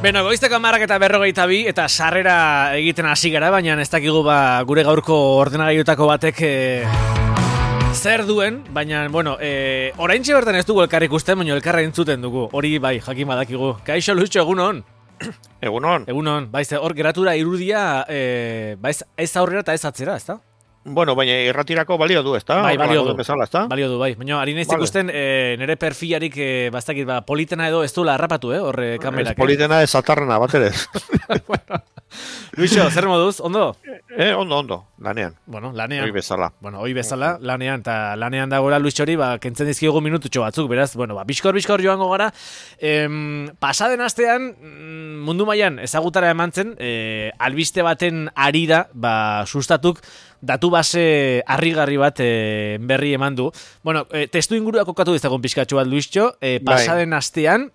Beno, goizteko 10:42 eta sarrera egiten hasi gara, baina ez dakigu gure gaurko ordenagailutako batek zer duen, baina, bueno, oraintxe bertan ez dugu elkar ikusten, baina elkarra entzuten dugu, hori bai, jakin badakigu. Kaixo, Lucho, egunon? Egunon. Egunon, baiz, hor geratura irudia, baiz, ez aurrera eta ez atzera, ezta? Bueno, baina irratirako balio du, ezta? Bai, balio du. Bezala, ezta? Balio du, bai. Baina, ari naiz ikusten, nire perfilarik, bastakit, politena edo ez duela harrapatu, horre kamerak. Ez politena ez atarrena, bat ere. Bueno, Luixo, zer moduz, ondo? Ondo, lanean. Bueno, lanean. Hoi bezala. Bueno, hoi bezala, lanean, eta lanean dagoela Luixori, kentzen dizkigu minututxo batzuk, beraz, bueno, biskor joango gara. Pasaden astean, mundu mailan ezagutara eman zen, albiste baten arira, sustatuk, datu base harrigarri bat berri eman du. Bueno, testu ingurua kokatu dizagun pixkatxo bat, Luixo, pasaden astean,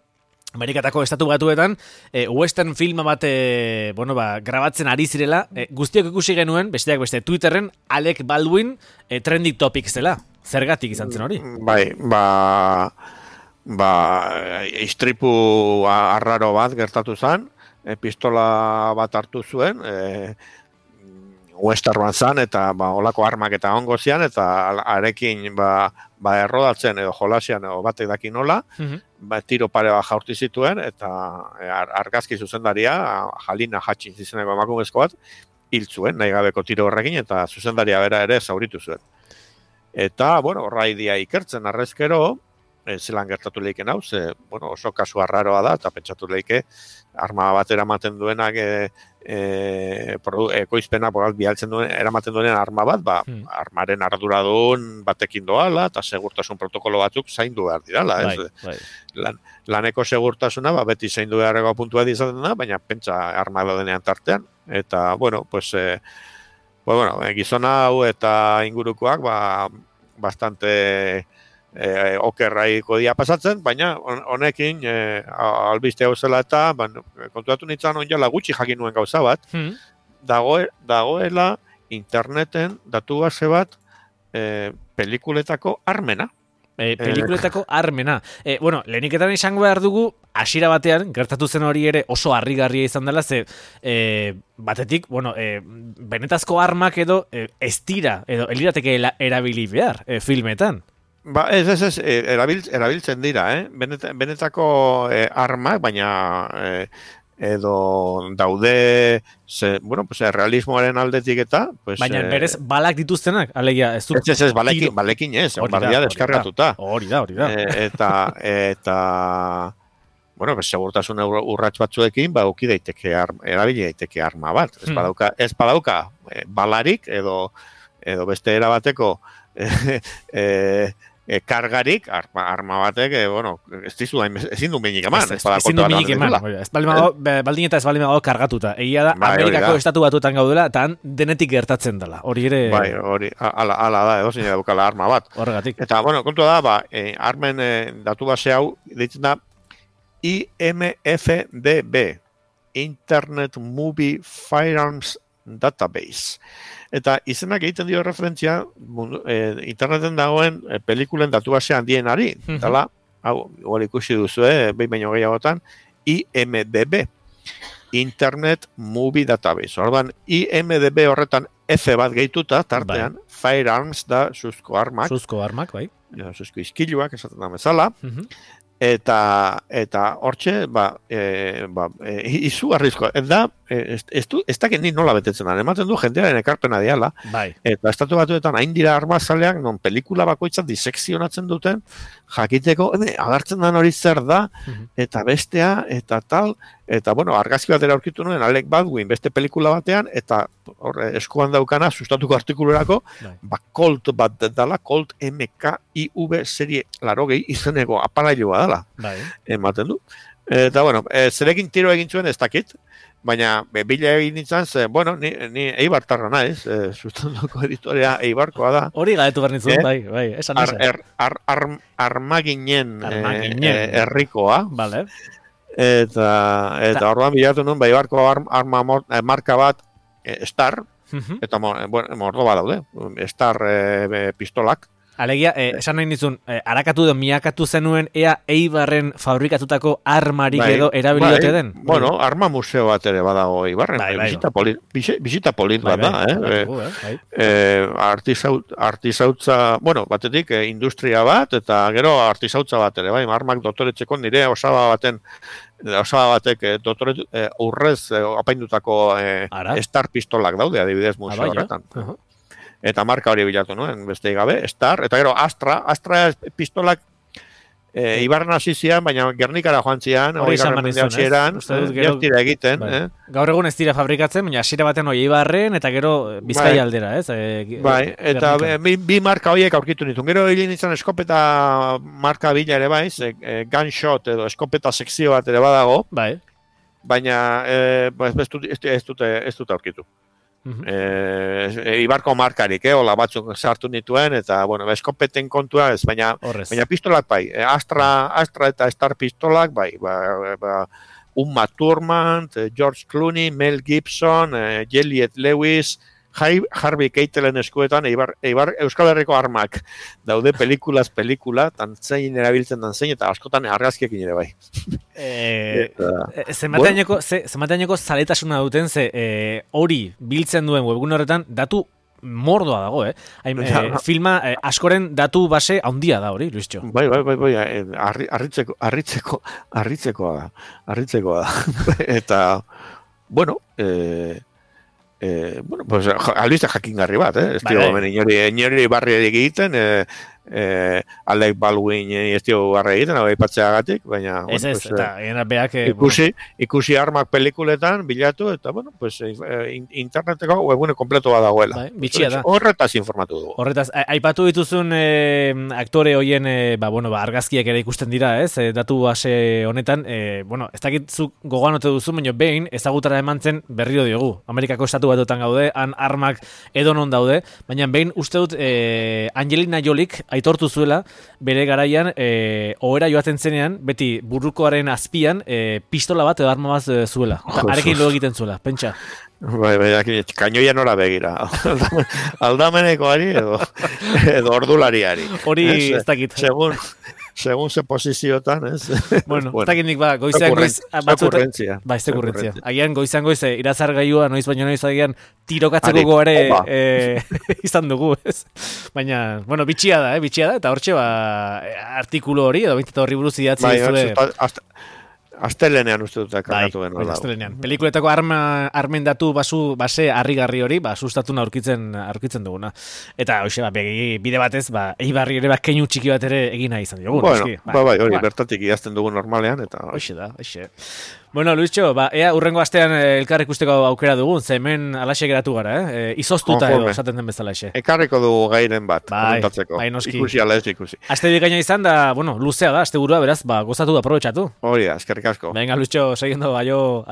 Amerikatako estatu batuetan, western filma bat grabatzen ari zirela, guztiok ikusi genuen, besteak beste Twitterren, Alec Baldwin trending topic zela. Zergatik izan zen hori? Bai, istripu arraro bat gertatu zen, pistola bat hartu zuen, westernoan zan, eta olako armak eta ongo zian, eta arekin errodatzen edo jolasian edo batek daki nola, tiro pare bat jaurti zituen, eta argazki zuzendaria, Jalina Hutchins izeneko emakumezko bat, hil zuen, nahi gabeko tiro horrekin, eta zuzendaria bera ere zauritu zuen. Eta, bueno, horraidia ikertzen arrezkero, zelan gertatu lehiken hau, oso kasu arraroa da, eta pentsatu lehike, arma bat eramaten duenak, ekoizpena bialtzen duen, eramaten duenen arma bat, armaren arduradun batekin doala, eta segurtasun protokolo batzuk zaindu behar dirala. Laneko segurtasuna, beti zaindu beharreko puntua izaten da, baina pentsa arma denean tartean. Eta, gizona hau eta ingurukoak, bastante okerraiko dia pasatzen, baina honekin albiste hau zela eta kontuatu nintzen onjala gutxi jakin nuen gauza bat, dagoela interneten datu base bat pelikuletako armena. Pelikuletako armena. Leheniketan izango behar dugu, hasiera batean, gertatu zen hori ere oso harrigarria izan dela, batetik, benetazko armak edo ez dira, edo elirateke erabili behar filmetan. Erabiltzen dira, benetako armak, baina edo daude, realismoaren aldetik eta... Baina berez balak dituztenak, alegia, ez du... Ez, balekin ez, bardia deskargatuta. Hori da. Eta... segurtasun urrats batzuekin, erabili daiteke arma bat. Ez badauka balarik, edo beste erabateko... kargarik, arma batek, ezin du minik eman. Ezin du minik eman. Baldin eta ez baldin dago kargatuta. Egia da, Amerikako estatu batuetan gaudela, eta denetik gertatzen dela. Hori ere... Bai, hori, ala da, edo zine daukala arma bat. Horregatik. Eta, kontua da, armen datu base hau, ditzen da, IMFDB, Internet Movie Firearms Database. Eta izenak egiten dio referentzia interneten dagoen pelikulen datu base handienari. Dala, hau ikusi duzu, behin baino gehiagotan, IMDB, Internet Movie Database. Orduan, IMDB horretan F bat gehituta, tartean, Firearms da suzko armak. Suzko armak, bai. Suzko izkiluak, esaten da bezala. Eta hortxe, izu arrizko, ez dakit ni nola betetzen da, ematen du jendearen ekarpena diala, eta estatu batuetan hain dira armazaleak, non pelikula bakoitzat disekzionatzen duten, jakiteko, agartzen den hori zer da, eta bestea, eta tal, eta argazki batera aurkitu nuen, Alec Baldwin beste pelikula batean, eta eskuan daukana, sustatuko artikulurako, Colt bat dela, Colt MKIV serie 80 izeneko apalailua dela, ematen du. Eta, zerekin tiro egin zuen ez dakit, baina bila egin nintzen, ni Eibartarra naiz, sustatuko editorea Eibarkoa da. Hori gaetu behar nintzen, bai, esan. Armaginen herrikoa. Vale. Eta orduan bilatu nuen, Eibarko arma marka bat, Star, eta mordo bat daude, Star pistolak, Alegia, esan nahi nizun, harakatu edo miakatu zenuen ea Eibarren fabrikatutako armarik edo erabiliote den? Bueno, arma museo bat ere badago Eibarren. Bisita polit bat da, artizautza, bueno, batetik industria bat, eta gero artizautza bat ere, bai, armak dotoretzeko nire osaba batek urrez apaindutako Star pistolak daude, adibidez museo horretan. Eta marka hori bilatu nuen, beste gabe, Star, eta gero Astra pistolak Ibarren hasi zian, baina Gernikara joan zian, hori garren mendeatxeran, gertira egiten. Gaur egun ez dira fabrikatzen, baina hasiera baten hori Ibarren, eta gero Bizkaia aldera, ez? Bai, eta bi marka horiek aurkitu nituen. Gero hilin izan eskopeta marka bila ere baiz, gunshot edo eskopeta sekzio bat ere badago, baina ez dut aurkitu. Ibarko markarik, hola batzuk sartu nituen, eta, bueno, eskopeten kontua ez, baina pistolak bai, Astra eta Star pistolak bai, Uma Thurman, George Clooney, Mel Gibson, Juliette Lewis, Harvey Keitelen eskuetan, Eibar Euskal Herriko armak daude pelikula, tantzein erabiltzen tantzein, eta askotan argazkiekin ere bai. Zemateaneko zaletasuna duten, hori biltzen duen webgun horretan, datu mordoa dago, filma askoren datu base handia da hori, Luischo. Bai, harritzekoa da. Eta, bueno, pues albiste jakingarri bat, ez dio inori barri egiten, Alec Baldwin ez dio barri egiten, aipatzeagatik, baina eta beak ikusi armak pelikuletan bilatu, eta bueno, pues interneteko webgune kompleto bat dagoela. Bitxia da. Horretaz informatu dugu. Horretaz, aipatu dituzun aktore hoien argazkiak ere ikusten dira, ez? Datu base honetan, bueno, ez dakitzuk gogoan ote duzu, baina behin ezagutara eman zen berriro diogu. Amerikako estatu batuetan gaude, han armak edonon daude, baina behin uste dut Angelina Jolik aitortu zuela, bere garaian, ohera joaten zenean, beti burukoaren azpian, pistola bat edo arma bat zuela. Arekin lo egiten zuela, pentsa. Bai, kainoia nora begira. Aldamenekoari edo ordulariari. Hori ez dakit. Segun ze posiziotan, ez? Bueno, ez dakit nik goizean goiz... Okurrentzia. Ba, ez okurrentzia. Agian goizan goiz, irazar gaiua, noiz baino noiz agian tirokatzeko goare izan dugu, ez? Baina, bueno, bitxia da, eta hortxe, artikulu hori, edo bintzat horri buruz idatzi zure... Astelenean uste dut kargatu den. Astelenean. Pelikuletako armen datu base harrigarri hori, sustatuna aurkitzen duguna. Eta, hoxe, bide batez, Eibarri ere keinu txiki bat ere egina izan dugu. Bueno, hori, bertatik idazten dugu normalean, eta... Hoxe. Bueno, Luischo, ea urrengo astean elkar ikusteko aukera dugun, ze hemen alaxe geratu gara, izoztuta edo, esaten den bezala exe. Ekarriko dugu gairen bat, komentatzeko. Ikusi ala ez ikusi. Aste bikaina izan da, bueno, luzea da, aste burua, beraz, gozatu da, aprobetxatu. Hori da, eskerrik asko. Venga, Luischo, seguindo, aio.